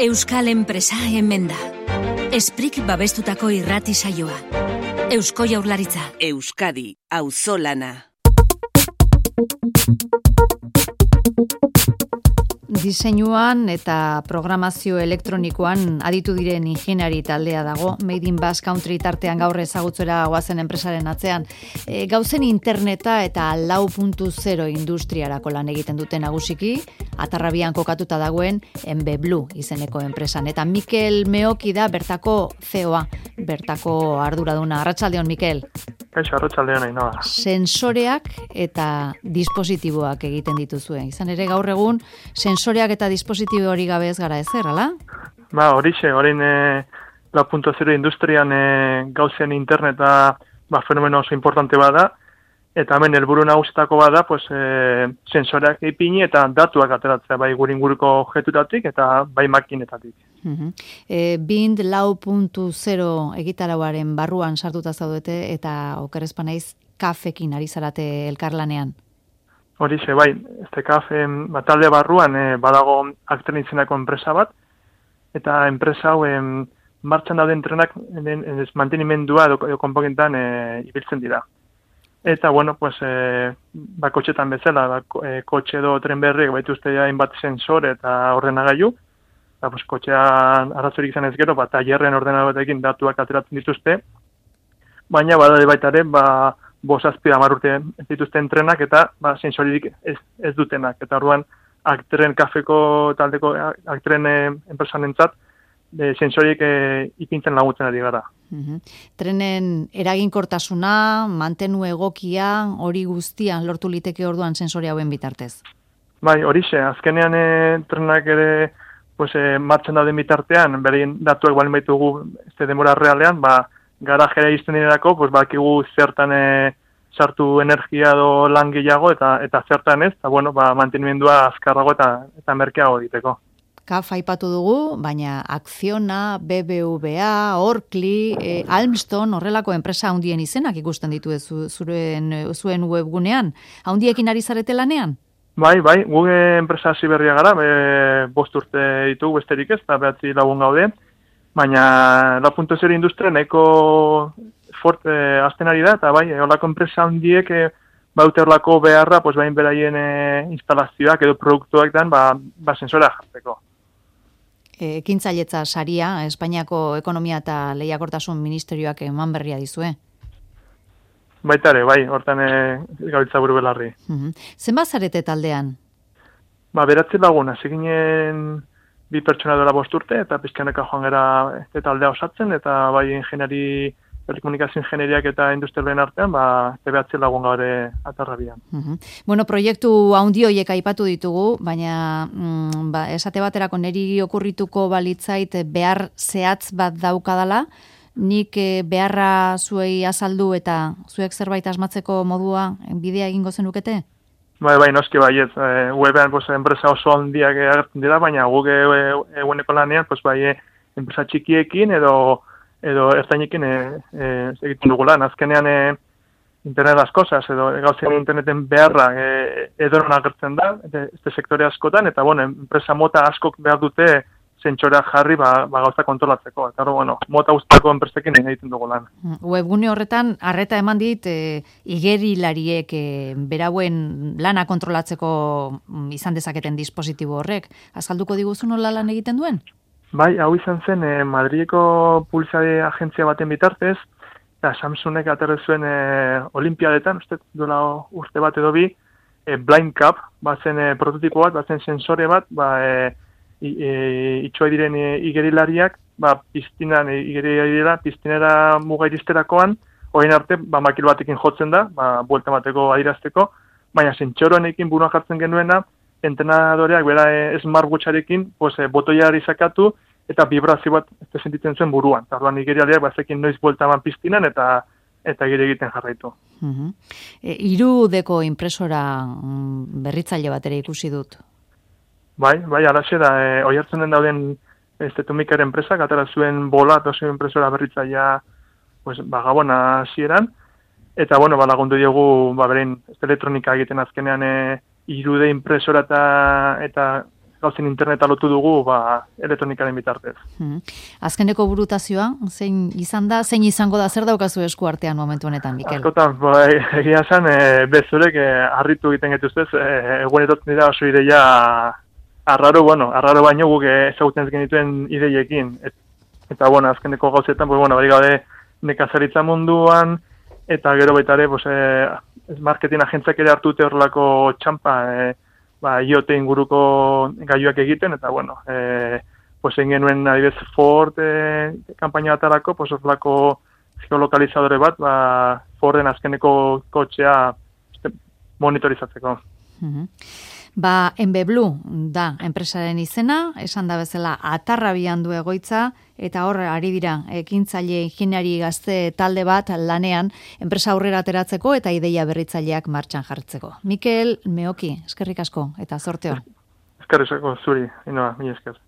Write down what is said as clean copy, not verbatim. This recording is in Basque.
Euskal enpresa hemen da. Esprik babestutako irrati saioa. Eusko Jaurlaritza. Euskadi, auzolana. Diseinuan eta programazio elektronikoan aditu diren ingeniari taldea dago, Made in Basque Country tartean gaur ezagutzera goazen enpresaren atzean. Gauzen interneta eta 4.0 industriarako lan egiten duten nagusiki, Atarrabian kokatuta dagoen MB Blue izeneko enpresan. Eta Mikel Meoki da bertako CEO-a, bertako arduraduna. Arratsaldeon, Mikel. Kaixo, arratsaldeon Ainhoa. Sensoreak eta dispositiboak egiten dituzue. Izan ere gaur egun sensoreak eta dispositibo hori gabe ez gara ezer, ala? Horixe, orain 4.0 industrian gauzen interneta fenomeno oso importante bada, eta hemen helburu nagusietako bada, sensoreak ipini eta datuak ateratzea, bai gure inguruko objektutatik eta bai makinetatik. Bind 4.0 egitarauaren barruan sartuta zaudete eta okerrezpa naiz kafekin ari zarate elkarlanean. Horixe, bai, kafe talde barruan badago Actren izeneko enpresa bat, eta enpresa hau martxan dauden trenak mantenimendua edo konponentan ibiltzen dira. Eta, kotxetan bezala, kotxe edo tren berriek baituzte hainbat sensore eta ordenagailu, eta kotxean arazorik izan ez gero, tailerren ordenagailuekin datuak ateratzen dituzte, baina badade baita ere, 5-10 urte dituzten trenak eta sensoririk ez dutenak. Eta orduan, Actren kafeko taldeko Actren enpresanentzat sensoriek ipintzen laguntzen ari gara. Trenen eraginkortasuna, mantenu egokia, hori guztian lortu liteke orduan sensore hauen bitartez? Bai, horixe, azkenean trenak ere martxan dauden bitartean, berein datuak balin baitugu denbora realean, garajera izten direlako, bakigu zertan sartu energia edo lan gehiago eta zertan ez, eta mantenimendua azkarrago eta merkeago egiteko. KAF aipatu dugu, baina Acciona, BBVA, Orkli, Almston, horrelako enpresa handien izenak ikusten ditu zuen webgunean. Handiekin ari zarete lanean? Bai, guge enpresa hasi berria gara, 5 urte ditugu besterik ez, eta 9 lagun gaude, baina 4.0 industria nahiko forte azten ari da, eta holako enpresa handiek baute horlako beharra, bain beraien instalazioak edo produktuak dan, sensorea jartzeko. Ekintzailetza saria, Espainiako Ekonomia eta Lehiakortasun Ministerioak eman berria dizue? Baita ere, hortan gabiltza buru belarri. Zenbat zarete taldean? 9 lagun, hasi ginen 2 pertsona dela 5 urte, eta pizkaneka joan gara taldea osatzen, eta ingeniari, telekomunikazio ingeniariak eta industrialen artean, 9 lagun gaur Atarrabian. Proiektu handi horiek aipatu ditugu, baina esate baterako niri okurrituko balitzait behar zehatz bat daukadala, nik beharra zuei azaldu eta zuek zerbait asmatzeko modua bidea egingo zenukete? Bai, noski baiet. Webean enpresa oso handiak agertzen dira, baina guk eguneko lanean, enpresa txikiekin edo ertainekin egiten dugu lan. Azkenean internet las cosas, edo gauzen interneten beharra edoron agertzen da, este sektore askotan, eta enpresa mota askok behar dute sentsoreak jarri gauza kontrolatzeko. Eta mota guztiako enpresekin egiten dugu lan. Webgune horretan, arreta eman dit, igerilariek berauen lana kontrolatzeko izan dezaketen dispositibo horrek. Azalduko diguzu nola lan egiten duen? Bai, hau izan zen Madrileko publizitate agentzia baten bitartez, eta Samsungek aterre zuen olimpiadetan, dola urte bat edo bi, Blind Cup, bazen prototipo bat, bazen sensore bat, itxoa diren igerilariak, piztinera muga iristerakoan, orain arte, makil batekin jotzen da, buelta bateko adirazteko, baina sentsoroanekin burua jartzen genuena, entrenadoreak bera smartwatcharekin botoiari sakatu eta vibrazio bat sentitzen zuen buruan. Orduan igerialeak bazekin noiz buelta eman piztinan eta gire egiten jarraitu. 3D impresora berritzaile bat ere ikusi dut. Bai, alaxe da, oihartzunen dauden Tumikar enpresak atera zuen Bolat oso impresora berritzailea Gabona hasieran, eta lagundu diogu berein elektronika egiten azkenean 3D impresora eta gauzen interneta lotu dugu elektronikaren bitartez. Azkeneko burutazioa, zein izan da, zein izango da, zer daukazu esku artean momentu honetan, Mikel? Askotan, egia esan, bezurek harritu egiten getuztez, egunetot dira oso ideia arraro baino guk ezagutzen ez genituen ideiekin. Eta, azkeneko gauzetan, bari gaude nekazaritza munduan, eta gero baita ere, marketing agentziak ere hartu dute horrelako txampa, IoT inguruko gaiuak egiten, eta, egin genuen, adibidez, Ford kampaina batarako, horrelako geolokalizadore bat, Forden azkeneko kotxea monitorizatzeko. Enbeblu da enpresaren izena, esan da bezala Atarrabian du egoitza, eta hor ari dira ekintzaile ingeniari gazte talde bat lanean enpresa aurrera ateratzeko eta ideia berritzaileak martxan jartzeko. Mikel Meoki, eskerrik asko eta zorte on. Eskerrik asko zuri, Inoa, mila esker.